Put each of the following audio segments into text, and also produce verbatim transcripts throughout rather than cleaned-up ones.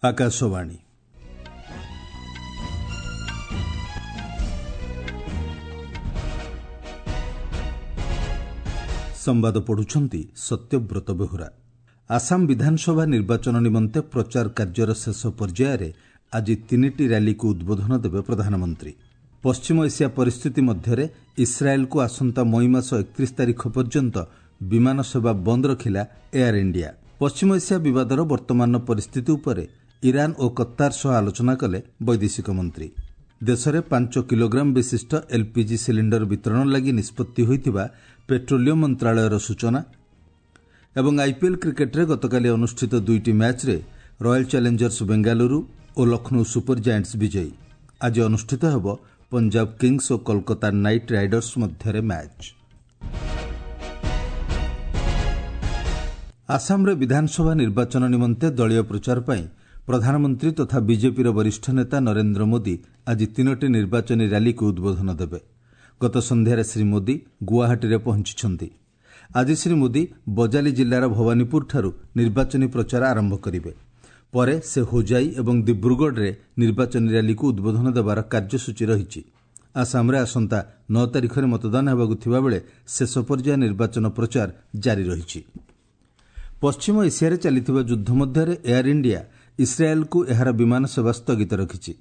ଆକାଶବାଣୀ। ସମ୍ବାଦ ପଢୁଛନ୍ତି ସତ୍ୟବ୍ରତ ବେହୁରା। ଆସାମ ବିଧାନସଭା ନିର୍ବାଚନ ନିମନ୍ତେ ପ୍ରଚାର କାର୍ଯ୍ୟର ଶେଷ ପର୍ଯ୍ୟାୟରେ ଆଜି ତିନିଟି ର୍ୟାଲିକୁ ଉଦ୍ବୋଧନ ଦେବେ ପ୍ରଧାନମନ୍ତ୍ରୀ। ପଶ୍ଚିମ ଏସିଆ ପରିସ୍ଥିତି ମଧ୍ୟରେ ଇସ୍ରାଏଲ୍କୁ ଆସନ୍ତା ମଇ ମାସ ଏକତିରିଶ ତାରିଖ ପର୍ଯ୍ୟନ୍ତ ବିମାନ ସେବା ବନ୍ଦ ରଖିଲା ଏୟାର ଇଣ୍ଡିଆ। ପଶ୍ଚିମ ଏସିଆ ବିବାଦର ବର୍ତ୍ତମାନର ପରିସ୍ଥିତି ଉପରେ ଇରାନ ଓ କତ୍ତାର ସହ ଆଲୋଚନା କଲେ ବୈଦେଶିକ ମନ୍ତ୍ରୀ। ଦେଶରେ ପାଞ୍ଚ କିଲୋଗ୍ରାମ ବିଶିଷ୍ଟ ଏଲ୍ପିଜି ସିଲିଣ୍ଡର ବିତରଣ ଲାଗି ନିଷ୍ପତ୍ତି ହୋଇଥିବା ପେଟ୍ରୋଲିୟମ ମନ୍ତ୍ରଣାଳୟର ସୂଚନା। ଏବଂ ଆଇପିଏଲ୍ କ୍ରିକେଟ୍ରେ ଗତକାଲି ଅନୁଷ୍ଠିତ ଦୁଇଟି ମ୍ୟାଚ୍ରେ ରୟାଲ୍ ଚ୍ୟାଲେଞ୍ଜର୍ସ ବେଙ୍ଗାଲୁରୁ ଓ ଲକ୍ଷ୍ନୌ ସୁପର ଜାଏଣ୍ଟସ୍ ବିଜୟୀ। ଆଜି ଅନୁଷ୍ଠିତ ହେବ ପଞ୍ଜାବ କିଙ୍ଗସ୍ ଓ କୋଲକାତା ନାଇଟ୍ ରାଇଡର୍ସ ମଧ୍ୟରେ ମ୍ୟାଚ୍। ଆସାମରେ ବିଧାନସଭା ନିର୍ବାଚନ ନିମନ୍ତେ ଦଳୀୟ ପ୍ରଚାର ପାଇଁ ପ୍ରଧାନମନ୍ତ୍ରୀ ତଥା ବିଜେପିର ବରିଷ୍ଠ ନେତା ନରେନ୍ଦ୍ର ମୋଦି ଆଜି ତିନୋଟି ନିର୍ବାଚନୀ ର୍ୟାଲିକୁ ଉଦ୍ବୋଧନ ଦେବେ। ଗତ ସନ୍ଧ୍ୟାରେ ଶ୍ରୀ ମୋଦି ଗୁଆହାଟୀରେ ପହଞ୍ଚିଛନ୍ତି। ଆଜି ଶ୍ରୀ ମୋଦି ବଜାଲି ଜିଲ୍ଲାର ଭବାନୀପୁରଠାରୁ ନିର୍ବାଚନୀ ପ୍ରଚାର ଆରମ୍ଭ କରିବେ। ପରେ ସେ ହୋଜାଇ ଏବଂ ଦିବ୍ରୁଗଡ଼ରେ ନିର୍ବାଚନୀ ର୍ୟାଲିକୁ ଉଦ୍ବୋଧନ ଦେବାର କାର୍ଯ୍ୟସୂଚୀ ରହିଛି। ଆସାମରେ ଆସନ୍ତା ନଅ ତାରିଖରେ ମତଦାନ ହେବାକୁ ଥିବାବେଳେ ଶେଷ ପର୍ଯ୍ୟାୟ ନିର୍ବାଚନ ପ୍ରଚାର ଜାରି ରହିଛି। ପଶ୍ଚିମ ଏସିଆରେ ଚାଲିଥିବା ଯୁଦ୍ଧ ମଧ୍ୟରେ ଏୟାର ଇଣ୍ଡିଆ ଇସ୍ରାଏଲ୍କୁ ଏହାର ବିମାନ ସେବା ସ୍ଥଗିତ ରଖିଛି।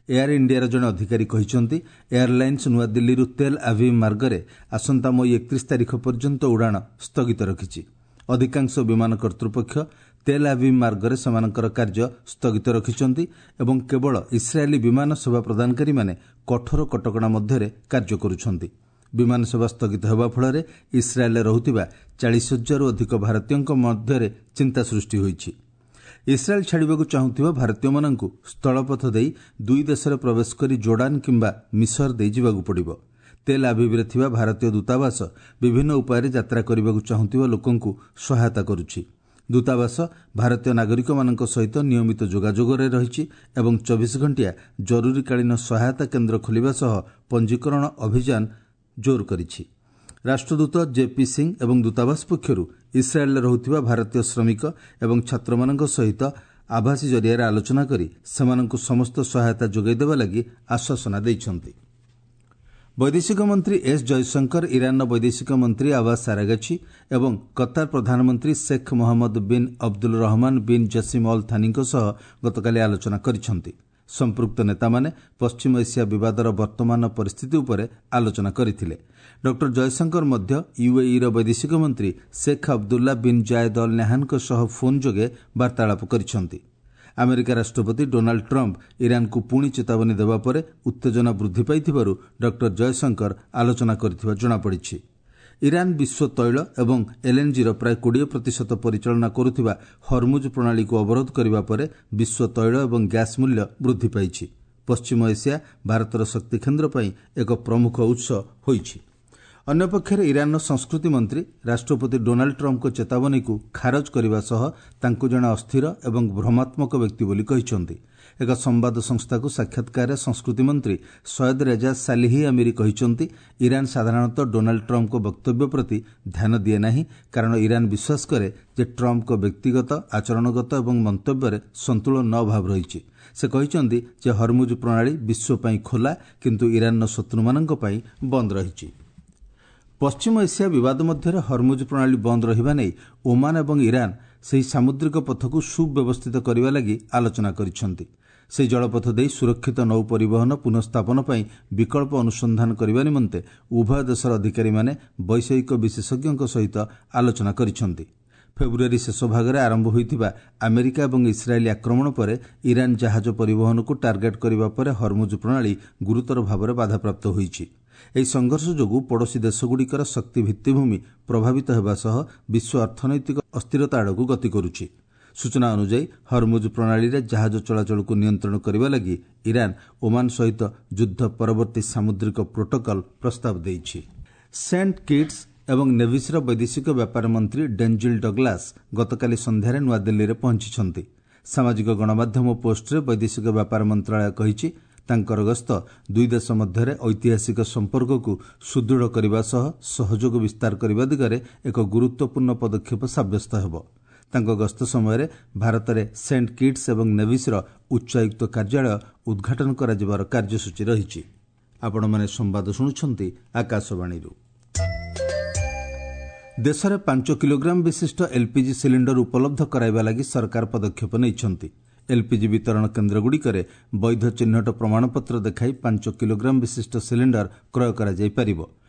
ଏୟାର ଇଣ୍ଡିଆର ଜଣେ ଅଧିକାରୀ କହିଛନ୍ତି, ଏୟାରଲାଇନ୍ସ ନୂଆଦିଲ୍ଲୀରୁ ତେଲ୍ ଆଭିଭ୍ ମାର୍ଗରେ ଆସନ୍ତା ମଇ ଏକତିରିଶ ତାରିଖ ପର୍ଯ୍ୟନ୍ତ ଉଡ଼ାଣ ସ୍ଥଗିତ ରଖିଛି। ଅଧିକାଂଶ ବିମାନ କର୍ତ୍ତୃପକ୍ଷ ତେଲ୍ ଆଭିଭ୍ ମାର୍ଗରେ ସେମାନଙ୍କର କାର୍ଯ୍ୟ ସ୍ଥଗିତ ରଖିଛନ୍ତି ଏବଂ କେବଳ ଇସ୍ରାଏଲୀ ବିମାନ ସେବା ପ୍ରଦାନକାରୀମାନେ କଠୋର କଟକଣା ମଧ୍ୟରେ କାର୍ଯ୍ୟ କରୁଛନ୍ତି। ବିମାନ ସେବା ସ୍ଥଗିତ ହେବା ଫଳରେ ଇସ୍ରାଏଲ୍ରେ ରହୁଥିବା ଚାଳିଶ ହଜାରରୁ ଅଧିକ ଭାରତୀୟଙ୍କ ମଧ୍ୟରେ ଚିନ୍ତା ସୃଷ୍ଟି ହୋଇଛି। ଇସ୍ରାଏଲ୍ ଛାଡ଼ିବାକୁ ଚାହୁଁଥିବା ଭାରତୀୟମାନଙ୍କୁ ସ୍ଥଳପଥ ଦେଇ ଦୁଇ ଦେଶରେ ପ୍ରବେଶ କରି ଜୋର୍ଡାନ କିମ୍ବା ମିଶର ଦେଇ ଯିବାକୁ ପଡ଼ିବ। ତେଲ୍ ଆଭିଭ୍ରେ ଥିବା ଭାରତୀୟ ଦୂତାବାସ ବିଭିନ୍ନ ଉପାୟରେ ଯାତ୍ରା କରିବାକୁ ଚାହୁଁଥିବା ଲୋକଙ୍କୁ ସହାୟତା କରୁଛି। ଦୂତାବାସ ଭାରତୀୟ ନାଗରିକମାନଙ୍କ ସହିତ ନିୟମିତ ଯୋଗାଯୋଗରେ ରହିଛି ଏବଂ ଚବିଶ ଘଣ୍ଟିଆ ଜରୁରୀକାଳୀନ ସହାୟତା କେନ୍ଦ୍ର ଖୋଲିବା ସହ ପଞ୍ଜୀକରଣ ଅଭିଯାନ ଜୋର କରିଛି। ରାଷ୍ଟ୍ରଦୂତ ଜେପି ସିଂ ଏବଂ ଦୂତାବାସ ପକ୍ଷରୁ ଇସ୍ରାଏଲ୍ରେ ରହୁଥିବା ଭାରତୀୟ ଶ୍ରମିକ ଏବଂ ଛାତ୍ରମାନଙ୍କ ସହିତ ଆଭାସୀ ଜରିଆରେ ଆଲୋଚନା କରି ସେମାନଙ୍କୁ ସମସ୍ତ ସହାୟତା ଯୋଗାଇ ଦେବା ଲାଗି ଆଶ୍ୱାସନା ଦେଇଛନ୍ତି। ବୈଦେଶିକ ମନ୍ତ୍ରୀ ଏସ୍ ଜୟଶଙ୍କର, ଇରାନର ବୈଦେଶିକ ମନ୍ତ୍ରୀ ଆବାସ ଆରାଗଚି ଏବଂ କତାର ପ୍ରଧାନମନ୍ତ୍ରୀ Sheikh Mohammed bin Abdul Rahman bin Jassim Al ଥାନିଙ୍କ ସହ ଗତକାଲି ଆଲୋଚନା କରିଛନ୍ତି। ସମ୍ପୃକ୍ତ ନେତାମାନେ ପଶ୍ଚିମ ଏସିଆ ବିବାଦର ବର୍ତ୍ତମାନର ପରିସ୍ଥିତି ଉପରେ ଆଲୋଚନା କରିଥିଲେ। ଡକ୍ଟର ଜୟଶଙ୍କର ମଧ୍ୟ ୟୁଏଇର ବୈଦେଶିକ ମନ୍ତ୍ରୀ Sheikh Abdullah bin Zayed Al ନାହ୍ୟାନଙ୍କ ସହ ଫୋନ୍ ଯୋଗେ ବାର୍ତ୍ତାଳାପ କରିଛନ୍ତି। ଆମେରିକା ରାଷ୍ଟ୍ରପତି ଡୋନାଲ୍ଡ ଟ୍ରମ୍ପ ଇରାନକୁ ପୁଣି ଚେତାବନୀ ଦେବା ପରେ ଉତ୍ତେଜନା ବୃଦ୍ଧି ପାଇଥିବାରୁ ଡକ୍ଟର ଜୟଶଙ୍କର ଆଲୋଚନା କରିଥିବା ଜଣାପଡ଼ିଛି। ଇରାନ ବିଶ୍ୱ ତୈଳ ଏବଂ ଏଲ୍ଏନ୍ଜିର ପ୍ରାୟ କୋଡ଼ିଏ ପ୍ରତିଶତ ପରିଚାଳନା କରୁଥିବା ହରମୁଜ ପ୍ରଣାଳୀକୁ ଅବରୋଧ କରିବା ପରେ ବିଶ୍ୱ ତୈଳ ଏବଂ ଗ୍ୟାସ୍ ମୂଲ୍ୟ ବୃଦ୍ଧି ପାଇଛି। ପଶ୍ଚିମ ଏସିଆ ଭାରତର ଶକ୍ତି କେନ୍ଦ୍ର ପାଇଁ ଏକ ପ୍ରମୁଖ ଉତ୍ସ ହୋଇଛି। ଅନ୍ୟପକ୍ଷରେ ଇରାନର ସଂସ୍କୃତି ମନ୍ତ୍ରୀ ରାଷ୍ଟ୍ରପତି ଡୋନାଲ୍ଡ ଟ୍ରମ୍ପଙ୍କ ଚେତାବନୀକୁ ଖାରଜ କରିବା ସହ ତାଙ୍କୁ ଜଣେ ଅସ୍ଥିର ଏବଂ ଭ୍ରମାତ୍ମକ ବ୍ୟକ୍ତି ବୋଲି କହିଛନ୍ତି। ଏକ ସମ୍ବାଦ ସଂସ୍ଥାକୁ ସାକ୍ଷାତକାରରେ ସଂସ୍କୃତି ମନ୍ତ୍ରୀ ସୟଦ ରେଜା ସାଲିହି ଆମିରି କହିଛନ୍ତି, ଇରାନ ସାଧାରଣତଃ ଡୋନାଲ୍ଡ ଟ୍ରମ୍ପଙ୍କ ବକ୍ତବ୍ୟ ପ୍ରତି ଧ୍ୟାନ ଦିଏ ନାହିଁ, କାରଣ ଇରାନ ବିଶ୍ୱାସ କରେ ଯେ ଟ୍ରମ୍ପଙ୍କ ବ୍ୟକ୍ତିଗତ, ଆଚରଣଗତ ଏବଂ ମନ୍ତବ୍ୟରେ ସନ୍ତୁଳନ ଅଭାବ ରହିଛି। ସେ କହିଛନ୍ତି ଯେ ହରମୁଜ ପ୍ରଣାଳୀ ବିଶ୍ୱ ପାଇଁ ଖୋଲା, କିନ୍ତୁ ଇରାନର ଶତ୍ରୁମାନଙ୍କ ପାଇଁ ବନ୍ଦ ରହିଛି। ପଶ୍ଚିମ ଏସିଆ ବିବାଦ ମଧ୍ୟରେ ହରମୁଜ ପ୍ରଣାଳୀ ବନ୍ଦ ରହିବା ନେଇ ଓମାନ ଏବଂ ଇରାନ ସେହି ସାମୁଦ୍ରିକ ପଥକୁ ସୁବ୍ୟବସ୍ଥିତ କରିବା ଲାଗି ଆଲୋଚନା କରିଛନ୍ତି। ସେହି ଜଳପଥ ଦେଇ ସୁରକ୍ଷିତ ନୌ ପରିବହନ ପୁନଃସ୍ଥାପନ ପାଇଁ ବିକଳ୍ପ ଅନୁସନ୍ଧାନ କରିବା ନିମନ୍ତେ ଉଭୟ ଦେଶର ଅଧିକାରୀମାନେ ବୈଷୟିକ ବିଶେଷଜ୍ଞଙ୍କ ସହିତ ଆଲୋଚନା କରିଛନ୍ତି। ଫେବୃଆରୀ ଶେଷ ଭାଗରେ ଆରମ୍ଭ ହୋଇଥିବା ଆମେରିକା ଏବଂ ଇସ୍ରାଏଲ୍ ଆକ୍ରମଣ ପରେ ଇରାନ ଜାହାଜ ପରିବହନକୁ ଟାର୍ଗେଟ୍ କରିବା ପରେ ହରମୁଜ ପ୍ରଣାଳୀ ଗୁରୁତର ଭାବରେ ବାଧାପ୍ରାପ୍ତ ହୋଇଛି। ଏହି ସଂଘର୍ଷ ଯୋଗୁଁ ପଡ଼ୋଶୀ ଦେଶଗୁଡ଼ିକର ଶକ୍ତି ଭିତ୍ତିଭୂମି ପ୍ରଭାବିତ ହେବା ସହ ବିଶ୍ୱ ଅର୍ଥନୈତିକ ଅସ୍ଥିରତା ଆଡ଼କୁ ଗତି କରୁଛି। ସୂଚନା ଅନୁଯାୟୀ ହରମୁଜ ପ୍ରଣାଳୀରେ ଜାହାଜ ଚଳାଚଳକୁ ନିୟନ୍ତ୍ରଣ କରିବା ଲାଗି ଇରାନ ଓମାନ ସହିତ ଯୁଦ୍ଧ ପରବର୍ତ୍ତୀ ସାମୁଦ୍ରିକ ପ୍ରୋଟୋକଲ୍ ପ୍ରସ୍ତାବ ଦେଇଛି। ସେଣ୍ଟ କିଟ୍ସ ଏବଂ ନେଭିସ୍ର ବୈଦେଶିକ ବ୍ୟାପାର ମନ୍ତ୍ରୀ ଡେଞ୍ଜିଲ୍ ଡଗ୍ଲାସ୍ ଗତକାଲି ସନ୍ଧ୍ୟାରେ ନୂଆଦିଲ୍ଲୀରେ ପହଞ୍ଚିଛନ୍ତି। ସାମାଜିକ ଗଣମାଧ୍ୟମ ପୋଷ୍ଟରେ ବୈଦେଶିକ ବ୍ୟାପାର ମନ୍ତ୍ରଣାଳୟ କହିଛି, ତାଙ୍କର ଗସ୍ତ ଦୁଇ ଦେଶ ମଧ୍ୟରେ ଐତିହାସିକ ସମ୍ପର୍କକୁ ସୁଦୃଢ଼ କରିବା ସହ ସହଯୋଗ ବିସ୍ତାର କରିବା ଦିଗରେ ଏକ ଗୁରୁତ୍ୱପୂର୍ଣ୍ଣ ପଦକ୍ଷେପ ସାବ୍ୟସ୍ତ ହେବ। ତାଙ୍କ ଗସ୍ତ ସମୟରେ ଭାରତରେ ସେଣ୍ଟ କିଟ୍ସ ଏବଂ ନେଭିସ୍ର ଉଚ୍ଚାୟୁକ୍ତ କାର୍ଯ୍ୟାଳୟ ଉଦ୍ଘାଟନ କରାଯିବାର କାର୍ଯ୍ୟସୂଚୀ ରହିଛି। ଆପଣମାନେ ସମ୍ବାଦ ଶୁଣୁଛନ୍ତି ଆକାଶବାଣୀରୁ। ଦେଶରେ ପାଞ୍ଚ କିଲୋଗ୍ରାମ ବିଶିଷ୍ଟ ଏଲ୍ପିଜି ସିଲିଣ୍ଡର ଉପଲବ୍ଧ କରାଇବା ଲାଗି ସରକାର ପଦକ୍ଷେପ ନେଇଛନ୍ତି। ଏଲ୍ପିଜି ବିତରଣ କେନ୍ଦ୍ରଗୁଡ଼ିକରେ ବୈଧ ଚିହ୍ନଟ ପ୍ରମାଣପତ୍ର ଦେଖାଇ ପାଞ୍ଚ କିଲୋଗ୍ରାମ ବିଶିଷ୍ଟ ସିଲିଣ୍ଡର କ୍ରୟ କରାଯାଇପାରିବ।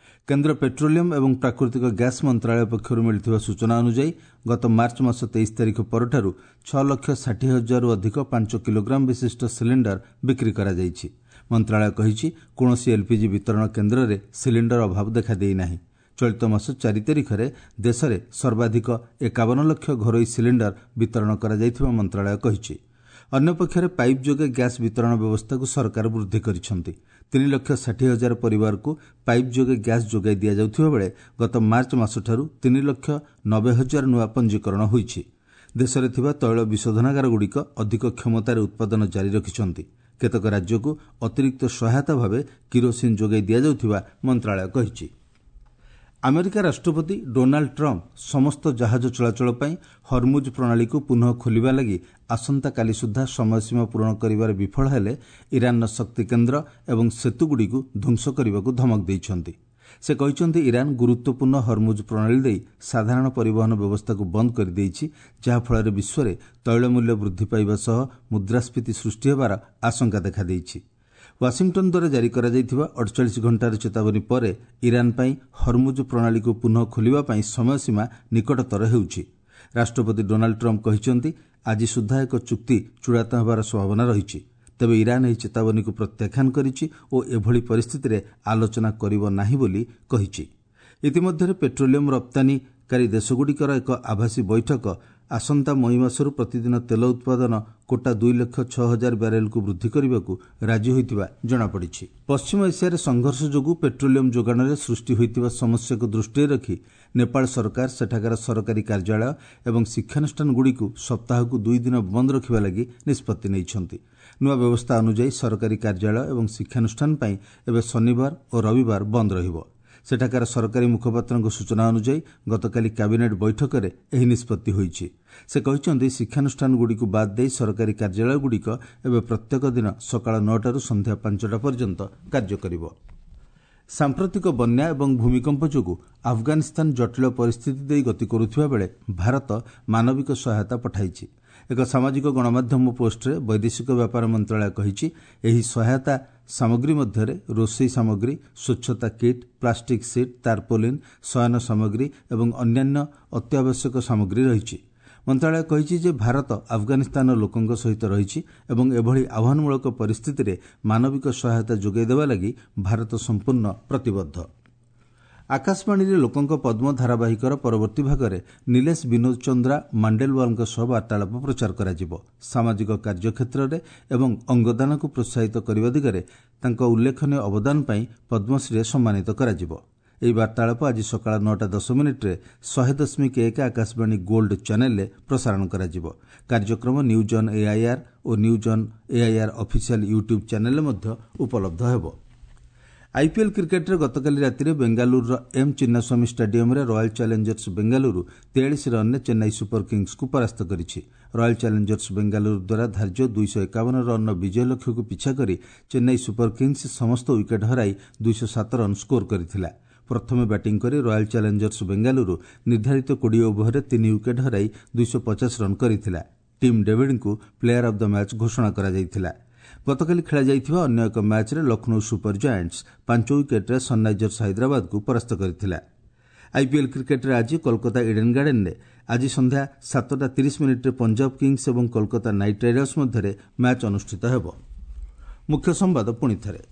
କେନ୍ଦ୍ର ପେଟ୍ରୋଲିୟମ ଏବଂ ପ୍ରାକୃତିକ ଗ୍ୟାସ୍ ମନ୍ତ୍ରଣାଳୟ ପକ୍ଷରୁ ମିଳିଥିବା ସୂଚନା ଅନୁଯାୟୀ ଗତ ମାର୍ଚ୍ଚ ମାସ ତେଇଶ ତାରିଖ ପରଠାରୁ ଛଅ ଲକ୍ଷ ଷାଠିଏ ହଜାରରୁ ଅଧିକ ପାଞ୍ଚ କିଲୋଗ୍ରାମ ବିଶିଷ୍ଟ ସିଲିଣ୍ଡର ବିକ୍ରି କରାଯାଇଛି। ମନ୍ତ୍ରଣାଳୟ କହିଛି, କୌଣସି ଏଲ୍ପିଜି ବିତରଣ କେନ୍ଦ୍ରରେ ସିଲିଣ୍ଡର ଅଭାବ ଦେଖାଦେଇନାହିଁ। ଚଳିତ ମାସ ଚାରି ତାରିଖରେ ଦେଶରେ ସର୍ବାଧିକ ଏକାବନ ଲକ୍ଷ ଘରୋଇ ସିଲିଣ୍ଡର ବିତରଣ କରାଯାଇଥିବା ମନ୍ତ୍ରଣାଳୟ କହିଛି। ଅନ୍ୟପକ୍ଷରେ ପାଇପ୍ ଯୋଗେ ଗ୍ୟାସ୍ ବିତରଣ ବ୍ୟବସ୍ଥାକୁ ସରକାର ବୃଦ୍ଧି କରିଛନ୍ତି। ତିନି ଲକ୍ଷ ଷାଠିଏ ହଜାର ପରିବାରକୁ ପାଇପ୍ ଯୋଗେ ଗ୍ୟାସ୍ ଯୋଗାଇ ଦିଆଯାଉଥିବା ବେଳେ ଗତ ମାର୍ଚ୍ଚ ମାସଠାରୁ ତିନି ଲକ୍ଷ ନବେ ହଜାର ନୂଆ ପଞ୍ଜୀକରଣ ହୋଇଛି। ଦେଶରେ ଥିବା ତୈଳ ବିଶୋଧନାଗାରଗୁଡ଼ିକ ଅଧିକ କ୍ଷମତାରେ ଉତ୍ପାଦନ ଜାରି ରଖିଛନ୍ତି। କେତେକ ରାଜ୍ୟକୁ ଅତିରିକ୍ତ ସହାୟତା ଭାବେ କିରୋସିନ୍ ଯୋଗାଇ ଦିଆଯାଉଥିବା ମନ୍ତ୍ରଣାଳୟ କହିଛି। ଆମେରିକା ରାଷ୍ଟ୍ରପତି ଡୋନାଲ୍ଡ ଟ୍ରମ୍ପ ସମସ୍ତ ଜାହାଜ ଚଳାଚଳ ପାଇଁ ହରମୁଜ୍ ପ୍ରଣାଳୀକୁ ପୁନଃ ଖୋଲିବା ଲାଗି ଆସନ୍ତାକାଲି ସୁଦ୍ଧା ସମୟସୀମା ପୂରଣ କରିବାରେ ବିଫଳ ହେଲେ ଇରାନର ଶକ୍ତି କେନ୍ଦ୍ର ଏବଂ ସେତୁଗୁଡ଼ିକୁ ଧ୍ୱଂସ କରିବାକୁ ଧମକ ଦେଇଛନ୍ତି। ସେ କହିଛନ୍ତି, ଇରାନ ଗୁରୁତ୍ୱପୂର୍ଣ୍ଣ ହରମୁଜ୍ ପ୍ରଣାଳୀ ଦେଇ ସାଧାରଣ ପରିବହନ ବ୍ୟବସ୍ଥାକୁ ବନ୍ଦ କରିଦେଇଛି, ଯାହାଫଳରେ ବିଶ୍ୱରେ ତୈଳ ମୂଲ୍ୟ ବୃଦ୍ଧି ପାଇବା ସହ ମୁଦ୍ରାସ୍ଫୀତି ସୃଷ୍ଟି ହେବାର ଆଶଙ୍କା ଦେଖାଦେଇଛି। ୱାଶିଂଟନ୍ ଦ୍ୱାରା ଜାରି କରାଯାଇଥିବା ଅଡ଼ଚାଳିଶ ଘଣ୍ଟାର ଚେତାବନୀ ପରେ ଇରାନ ପାଇଁ ହରମୁଜ୍ ପ୍ରଣାଳୀକୁ ପୁନଃ ଖୋଲିବା ପାଇଁ ସମୟସୀମା ନିକଟତର ହେଉଛି। ରାଷ୍ଟ୍ରପତି ଡୋନାଲ୍ଡ ଟ୍ରମ୍ପ କହିଛନ୍ତି, ଆଜି ସୁଦ୍ଧା ଏକ ଚୁକ୍ତି ଚୂଡ଼ାନ୍ତ ହେବାର ସମ୍ଭାବନା ରହିଛି। ତେବେ ଇରାନ ଏହି ଚେତାବନୀକୁ ପ୍ରତ୍ୟାଖ୍ୟାନ କରିଛି ଓ ଏଭଳି ପରିସ୍ଥିତିରେ ଆଲୋଚନା କରିବ ନାହିଁ ବୋଲି କହିଛି। ଇତିମଧ୍ୟରେ ପେଟ୍ରୋଲିୟମ ରପ୍ତାନୀକାରୀ ଦେଶଗୁଡ଼ିକର ଏକ ଆଭାସୀ ବୈଠକ ଆସନ୍ତା ମଇ ମାସରୁ ପ୍ରତିଦିନ ତେଲ ଉତ୍ପାଦନ କୋଟା ଦୁଇ ଲକ୍ଷ ଛଅ ହଜାର ବ୍ୟାରେଲକୁ ବୃଦ୍ଧି କରିବାକୁ ରାଜି ହୋଇଥିବା ଜଣାପଡ଼ିଛି। ପଶ୍ଚିମ ଏସିଆରେ ସଂଘର୍ଷ ଯୋଗୁଁ ପେଟ୍ରୋଲିୟମ ଯୋଗାଣରେ ସୃଷ୍ଟି ହୋଇଥିବା ସମସ୍ୟାକୁ ଦୃଷ୍ଟିରେ ରଖି ନେପାଳ ସରକାର ସେଠାକାର ସରକାରୀ କାର୍ଯ୍ୟାଳୟ ଏବଂ ଶିକ୍ଷାନୁଷ୍ଠାନଗୁଡ଼ିକୁ ସପ୍ତାହକୁ ଦୁଇ ଦିନ ବନ୍ଦ ରଖିବା ଲାଗି ନିଷ୍ପତ୍ତି ନେଇଛନ୍ତି। ନୂଆ ବ୍ୟବସ୍ଥା ଅନୁଯାୟୀ ସରକାରୀ କାର୍ଯ୍ୟାଳୟ ଏବଂ ଶିକ୍ଷାନୁଷ୍ଠାନ ପାଇଁ ଏବେ ଶନିବାର ଓ ରବିବାର ବନ୍ଦ ରହିବ। ସେଠାକାର ସରକାରୀ ମୁଖପାତ୍ରଙ୍କ ସୂଚନା ଅନୁଯାୟୀ ଗତକାଲି କ୍ୟାବିନେଟ୍ ବୈଠକରେ ଏହି ନିଷ୍ପତ୍ତି ହୋଇଛି। ସେ କହିଛନ୍ତି, ଶିକ୍ଷାନୁଷ୍ଠାନଗୁଡ଼ିକୁ ବାଦ୍ ଦେଇ ସରକାରୀ କାର୍ଯ୍ୟାଳୟଗୁଡ଼ିକ ଏବେ ପ୍ରତ୍ୟେକ ଦିନ ସକାଳ ନଅଟାରୁ ସନ୍ଧ୍ୟା ପାଞ୍ଚଟା ପର୍ଯ୍ୟନ୍ତ କାର୍ଯ୍ୟ କରିବ। ସାମ୍ପ୍ରତିକ ବନ୍ୟା ଏବଂ ଭୂମିକମ୍ପ ଯୋଗୁଁ ଆଫଗାନିସ୍ତାନ ଜଟିଳ ପରିସ୍ଥିତି ଦେଇ ଗତି କରୁଥିବା ବେଳେ ଭାରତ ମାନବିକ ସହାୟତା ପଠାଇଛି। ଏକ ସାମାଜିକ ଗଣମାଧ୍ୟମ ପୋଷ୍ଟରେ ବୈଦେଶିକ ବ୍ୟାପାର ମନ୍ତ୍ରଣାଳୟ କହିଛି, ଏହି ସହାୟତା ସାମଗ୍ରୀ ମଧ୍ୟରେ ରୋଷେଇ ସାମଗ୍ରୀ, ସ୍ୱଚ୍ଛତା କିଟ୍, ପ୍ଲାଷ୍ଟିକ୍ ସିଟ୍, ତାର୍ପୋଲିନ୍, ଶୟନ ସାମଗ୍ରୀ ଏବଂ ଅନ୍ୟାନ୍ୟ ଅତ୍ୟାବଶ୍ୟକ ସାମଗ୍ରୀ ରହିଛି। ମନ୍ତ୍ରଣାଳୟ କହିଛି ଯେ ଭାରତ ଆଫଗାନିସ୍ତାନର ଲୋକଙ୍କ ସହିତ ରହିଛି ଏବଂ ଏଭଳି ଆହ୍ୱାନମୂଳକ ପରିସ୍ଥିତିରେ ମାନବିକ ସହାୟତା ଯୋଗାଇ ଦେବା ଲାଗି ଭାରତ ସମ୍ପୂର୍ଣ୍ଣ ପ୍ରତିବଦ୍ଧ। ଆକାଶବାଣୀରେ ଲୋକଙ୍କ ପଦ୍ମ ଧାରାବାହିକର ପରବର୍ତ୍ତୀ ଭାଗରେ ନିଲେଶ ବିନୋଦ ଚନ୍ଦ୍ରା ମାଣ୍ଡେଲୱାଲଙ୍କ ସହ ବାର୍ତ୍ତାଳାପ ପ୍ରଚାର କରାଯିବ। ସାମାଜିକ କାର୍ଯ୍ୟକ୍ଷେତ୍ରରେ ଏବଂ ଅଙ୍ଗଦାନକୁ ପ୍ରୋତ୍ସାହିତ କରିବା ଦିଗରେ ତାଙ୍କ ଉଲ୍ଲେଖନୀୟ ଅବଦାନ ପାଇଁ ପଦ୍ମଶ୍ରୀରେ ସମ୍ମାନିତ କରାଯିବ। ଏହି ବାର୍ତ୍ତାଳାପ ଆଜି ସକାଳ ନଅଟା ଦଶ ମିନିଟ୍ରେ ଶହେ ଦଶମିକ ଏକ ଆକାଶବାଣୀ ଗୋଲ୍ଡ ଚ୍ୟାନେଲରେ ପ୍ରସାରଣ କରାଯିବ। କାର୍ଯ୍ୟକ୍ରମ news on AIR O news on AIR official YouTube ଚ୍ୟାନେଲରେ ମଧ୍ୟ ଉପଲବ୍ଧ ହେବ। ଆଇପିଏଲ୍ କ୍ରିକେଟ୍ରେ ଗତକାଲି ରାତିରେ ବେଙ୍ଗାଲୁରୁର ଏମ୍ ଚିନ୍ନାସ୍ୱାମୀ ଷ୍ଟାଡିୟମ୍ରେ ରୟାଲ୍ ଚ୍ୟାଲେଞ୍ଜର୍ସ ବେଙ୍ଗାଲୁରୁ ତେୟାଳିଶ ରନ୍ରେ ଚେନ୍ନାଇ ସୁପର କିଙ୍ଗ୍ସକୁ ପରାସ୍ତ କରିଛି। ରୟାଲ୍ ଚ୍ୟାଲେଞ୍ଜର୍ସ ବେଙ୍ଗାଲୁରୁ ଦ୍ୱାରା ଧାର୍ଯ୍ୟ ଦୁଇଶହ ଏକାବନ ରନ୍ର ବିଜୟ ଲକ୍ଷ୍ୟକୁ ପିଛା କରି ଚେନ୍ନାଇ ସୁପର କିଙ୍ଗ୍ସ ସମସ୍ତ ୱିକେଟ୍ ହରାଇ ଦୁଇଶହ ସାତ ରନ୍ ସ୍କୋର କରିଥିଲା। ପ୍ରଥମେ ବ୍ୟାଟିଂ କରି ରୟାଲ୍ ଚ୍ୟାଲେଞ୍ଜର୍ସ ବେଙ୍ଗାଲୁରୁ ନିର୍ଦ୍ଧାରିତ କୋଡ଼ିଏ ଓଭରରେ ତିନି ୱିକେଟ୍ ହରାଇ ଦୁଇଶହ ପଚାଶ ରନ୍ କରିଥିଲା। ଟିମ୍ ଡେଭିଡ୍ଙ୍କୁ ପ୍ଲେୟାର ଅଫ୍ the match ଘୋଷଣା କରାଯାଇଥିଲା। ଗତକାଲି ଖେଳାଯାଇଥିବା ଅନ୍ୟ ଏକ ମ୍ୟାଚ୍ରେ ଲକ୍ଷ୍ନୌ ସୁପର ଜାଏଣ୍ଟସ୍ ପାଞ୍ଚ ୱିକେଟ୍ରେ ସନ୍ରାଇଜର୍ସ ହାଇଦ୍ରାବାଦକୁ ପରାସ୍ତ କରିଥିଲା। ଆଇପିଏଲ୍ କ୍ରିକେଟ୍ରେ ଆଜି କୋଲକାତା ଇଡେନ୍ ଗାର୍ଡେନ୍ରେ ଆଜି ସନ୍ଧ୍ୟା ସାତଟା ତିରିଶ ମିନିଟ୍ରେ ପଞ୍ଜାବ କିଙ୍ଗ୍ସ ଏବଂ କୋଲକାତା ନାଇଟ୍ ରାଇଡର୍ସ ମଧ୍ୟରେ ମ୍ୟାଚ୍ ଅନୁଷ୍ଠିତ ହେବ। ମୁଖ୍ୟ ସମ୍ବାଦ ପୁଣିଥରେ।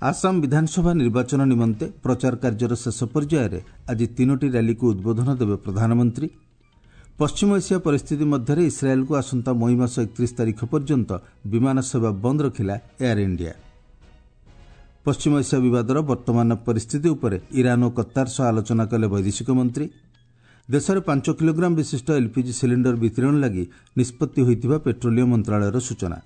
ଆସାମ ବିଧାନସଭା ନିର୍ବାଚନ ନିମନ୍ତେ ପ୍ରଚାର କାର୍ଯ୍ୟର ଶେଷ ପର୍ଯ୍ୟାୟରେ ଆଜି ତିନୋଟି ର୍ୟାଲିକୁ ଉଦ୍ବୋଧନ ଦେବେ ପ୍ରଧାନମନ୍ତ୍ରୀ। ପଶ୍ଚିମ ଏସିଆ ପରିସ୍ଥିତି ମଧ୍ୟରେ ଇସ୍ରାଏଲ୍କୁ ଆସନ୍ତା ମଇ ମାସ ଏକତିରିଶ ତାରିଖ ପର୍ଯ୍ୟନ୍ତ ବିମାନ ସେବା ବନ୍ଦ ରଖିଲା ଏୟାର ଇଣ୍ଡିଆ। ପଶ୍ଚିମ ଏସିଆ ବିବାଦର ବର୍ତ୍ତମାନ ପରିସ୍ଥିତି ଉପରେ ଇରାନ୍ ଓ କତାର ସହ ଆଲୋଚନା କଲେ ବୈଦେଶିକ ମନ୍ତ୍ରୀ। ଦେଶରେ ପାଞ୍ଚ କିଲୋଗ୍ରାମ ବିଶିଷ୍ଟ ଏଲ୍ପିଜି ସିଲିଣ୍ଡର ବିତରଣ ଲାଗି ନିଷ୍ପତ୍ତି ହୋଇଥିବା ପେଟ୍ରୋଲିୟମ ମନ୍ତ୍ରଣାଳୟର ସୂଚନା।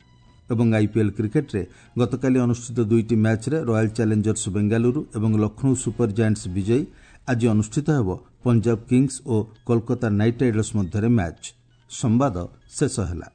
ଏବଂ ଆଇପିଏଲ୍ କ୍ରିକେଟ୍ରେ ଗତକାଲି ଅନୁଷ୍ଠିତ ଦୁଇଟି ମ୍ୟାଚ୍ରେ ରୟାଲ୍ ଚ୍ୟାଲେଞ୍ଜର୍ସ ବେଙ୍ଗାଲୁରୁ ଏବଂ ଲକ୍ଷ୍ନୌ ସୁପର ଜାଏଣ୍ଟସ୍ ବିଜୟୀ। ଆଜି ଅନୁଷ୍ଠିତ ହେବ ପଞ୍ଜାବ କିଙ୍ଗ୍ସ ଓ କୋଲକାତା ନାଇଟ୍ ରାଇଡର୍ସ ମଧ୍ୟରେ ମ୍ୟାଚ୍। ସମ୍ବାଦ ଶେଷ ହେଲା।